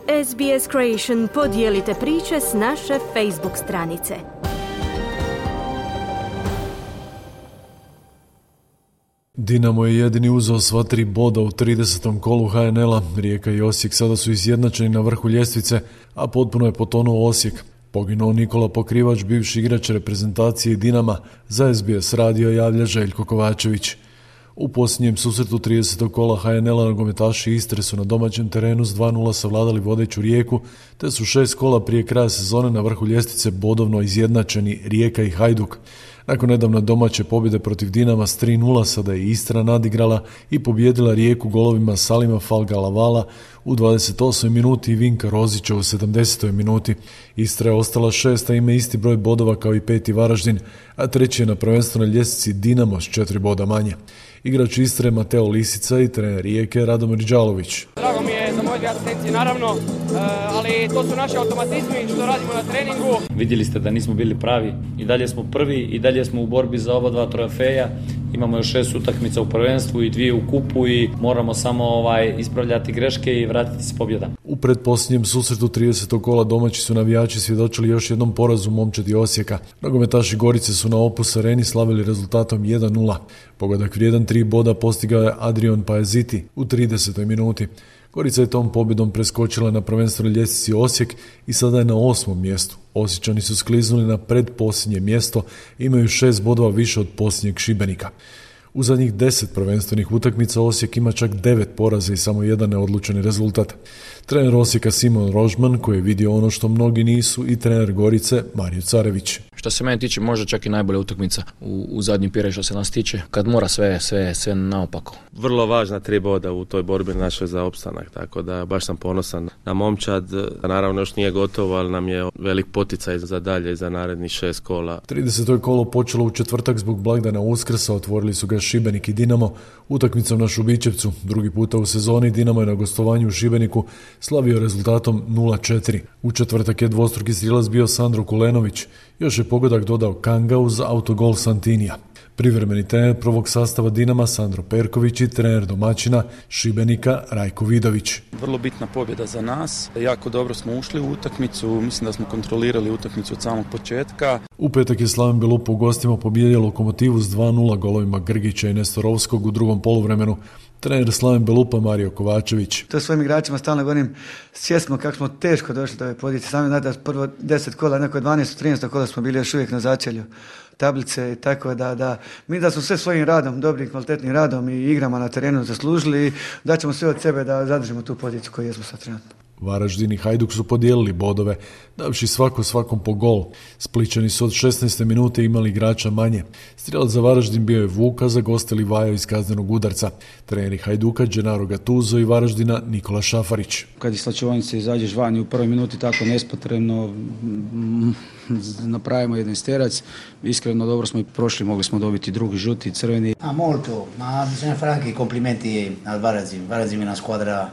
SBS Creation, podijelite priče s naše Facebook stranice. Dinamo je jedini uzeo sva 3 boda u 30. kolu HNL-a. Rijeka i Osijek sada su izjednačeni na vrhu ljestvice, a potpuno je potonuo Osijek. Poginuo Nikola Pokrivač, bivši igrač reprezentacije Dinama, za SBS radio javlja Željko Kovačević. U posljednjem susretu 30. kola HNL-a nogometaši Istre su na domaćem terenu s 2:0 savladali vodeću Rijeku, te su 6 kola prije kraja sezone na vrhu ljestvice bodovno izjednačeni Rijeka i Hajduk. Nakon nedavne domaće pobjede protiv Dinama s 3:0 sada je Istra nadigrala i pobijedila Rijeku golovima Salima Falgalavala u 28. minuti i Vinka Rozića u 70. minuti. Istra je ostala 6, a ima isti broj bodova kao i 5. Varaždin, a 3. je na prvenstvenoj ljestvici Dinamo s 4 boda manje. Igrač Istre Mateo Lisica i trener Rijeke Radomir Đalović. Drago mi je za moje dvije asistencije, naravno, ali to su naši automatizmi što radimo na treningu. Vidjeli ste da nismo bili pravi, i dalje smo prvi, i dalje smo u borbi za oba 2 trofeja. Imamo još 6 utakmica u prvenstvu i 2 u kupu i moramo samo ispravljati greške i vratiti se pobjeda. U pretposljednjem susretu 30. kola domaći su navijači svjedočili još jednom porazu momčadi Osijeka. Nogometaši Gorice su na Opus Areni slavili rezultatom 1:0. Pogodak vrijedan 3 boda postigao je Adrian Pajeziti u 30. minuti. Gorica je tom pobjedom preskočila na prvenstvenoj ljestvici Osijek i sada je na 8. mjestu. Osječani su skliznuli na predposljednje mjesto i imaju 6 bodova više od posljednjeg Šibenika. U zadnjih 10 prvenstvenih utakmica Osijek ima čak 9 poraza i samo 1 neodlučeni rezultat. Trener Osijeka Simon Rožman, koji je vidio ono što mnogi nisu, i trener Gorice Mario Carević. Što se mene tiče, možda čak i najbolja utakmica u zadnjem periodu što se nas tiče, kad mora sve naopako. Vrlo važna 3 boda u toj borbi našoj za opstanak, tako da baš sam ponosan na momčad. Naravno još nije gotovo, ali nam je velik poticaj za dalje, za narednih 6 kola. 30. kolo počelo u četvrtak zbog blagdana Uskrsa, otvorili su ga Šibenik i Dinamo utakmicom na Šubićevcu. Drugi puta u sezoni Dinamo je na gostovanju u Šibeniku slavio rezultatom 0:4. U četvrtak je dvostruki strijelac bio Sandro Kulenović. Još je pogodak dodao Kanga uz autogol Santinija. Privremeni trener prvog sastava Dinama Sandro Perković i trener domaćina Šibenika Rajko Vidović. Vrlo bitna pobjeda za nas. Jako dobro smo ušli u utakmicu. Mislim da smo kontrolirali utakmicu od samog početka. U petak je Slaven Belupo u gostima pobijedio Lokomotivu s 2:0 golovima Grgića i Nestorovskog u drugom poluvremenu. Trener Slaven Belupa Mario Kovačević. To svojim igračima stalno govorim, svjesno kako smo teško došli do ove pozicije. Sami znate da prvo 10 kola, neko 12-13 kola smo bili još uvijek na začelju tablice i tako da mi da smo sve svojim radom, dobrim kvalitetnim radom i igrama na terenu zaslužili i da ćemo sve od sebe da zadržimo tu poziciju koju jesmo sad trenutno. Varaždin i Hajduk su podijelili bodove, davši svakom po gol. Splićani su od 16. minute imali igrača manje. Strijelac za Varaždin bio je Vuka, za goste Livajo iz kaznenog udarca. Treneri Hajduka Gennaro Gattuso i Varaždina Nikola Šafarić. Kad iz slačionice izađeš vani u prvoj minuti tako nespotrebno, napravimo jedan sterac. Iskreno dobro smo i prošli, mogli smo dobiti drugi žuti, crveni. Molto, ma bisogna fare anche i complimenti al Varazim. Varazim je una squadra.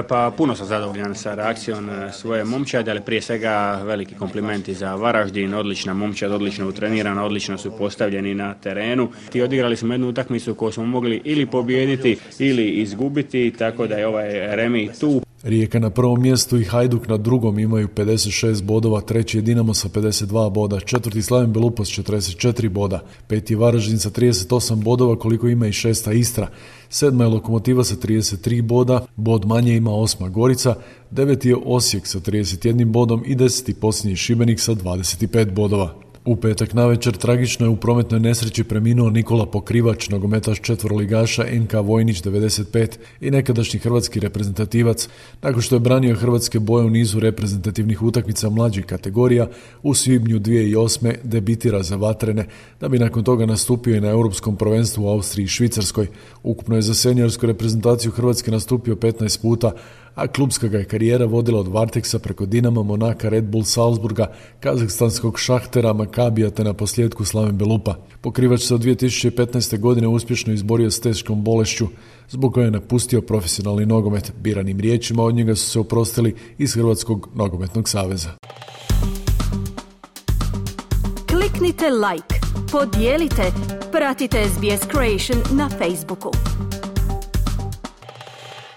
Pa puno sam zadovoljan sa reakcijom svoje momčade, ali prije svega veliki komplimenti za Varaždin, odlična momčad, odlično utrenirana, odlično su postavljeni na terenu. I odigrali smo jednu utakmicu koju smo mogli ili pobijediti ili izgubiti, tako da je ovaj remi tu. Rijeka na prvom mjestu i Hajduk na drugom imaju 56 bodova, treći je Dinamo sa 52 boda, četvrti Slaven Belupo s 44 boda, peti je Varaždin sa 38 bodova koliko ima i 6. Istra, 7. je Lokomotiva sa 33 boda, bod manje ima 8. Gorica, 9. je Osijek sa 31 bodom i 10. posljednji Šibenik sa 25 bodova. U petak navečer tragično je u prometnoj nesreći preminuo Nikola Pokrivač, nogometaš četvroligaša NK Vojnić 95 i nekadašnji hrvatski reprezentativac, nakon što je branio hrvatske boje u nizu reprezentativnih utakmica mlađih kategorija. U svibnju 2008. debitira za Vatrene, da bi nakon toga nastupio i na europskom prvenstvu u Austriji i Švicarskoj. Ukupno je za seniorsku reprezentaciju Hrvatske nastupio 15 puta, a klubska ga je karijera vodila od Varteksa preko Dinama, Monaka, Red Bull Salzburga, kazahstanskog Šahtera, Makabija te na posljedku Slaven Belupa. Pokrivač se od 2015. godine uspješno izborio s teškom bolešću, zbog koje je napustio profesionalni nogomet. Biranim riječima od njega su se oprostili iz Hrvatskog nogometnog saveza. Kliknite like, podijelite, pratite SBS Creation na Facebooku.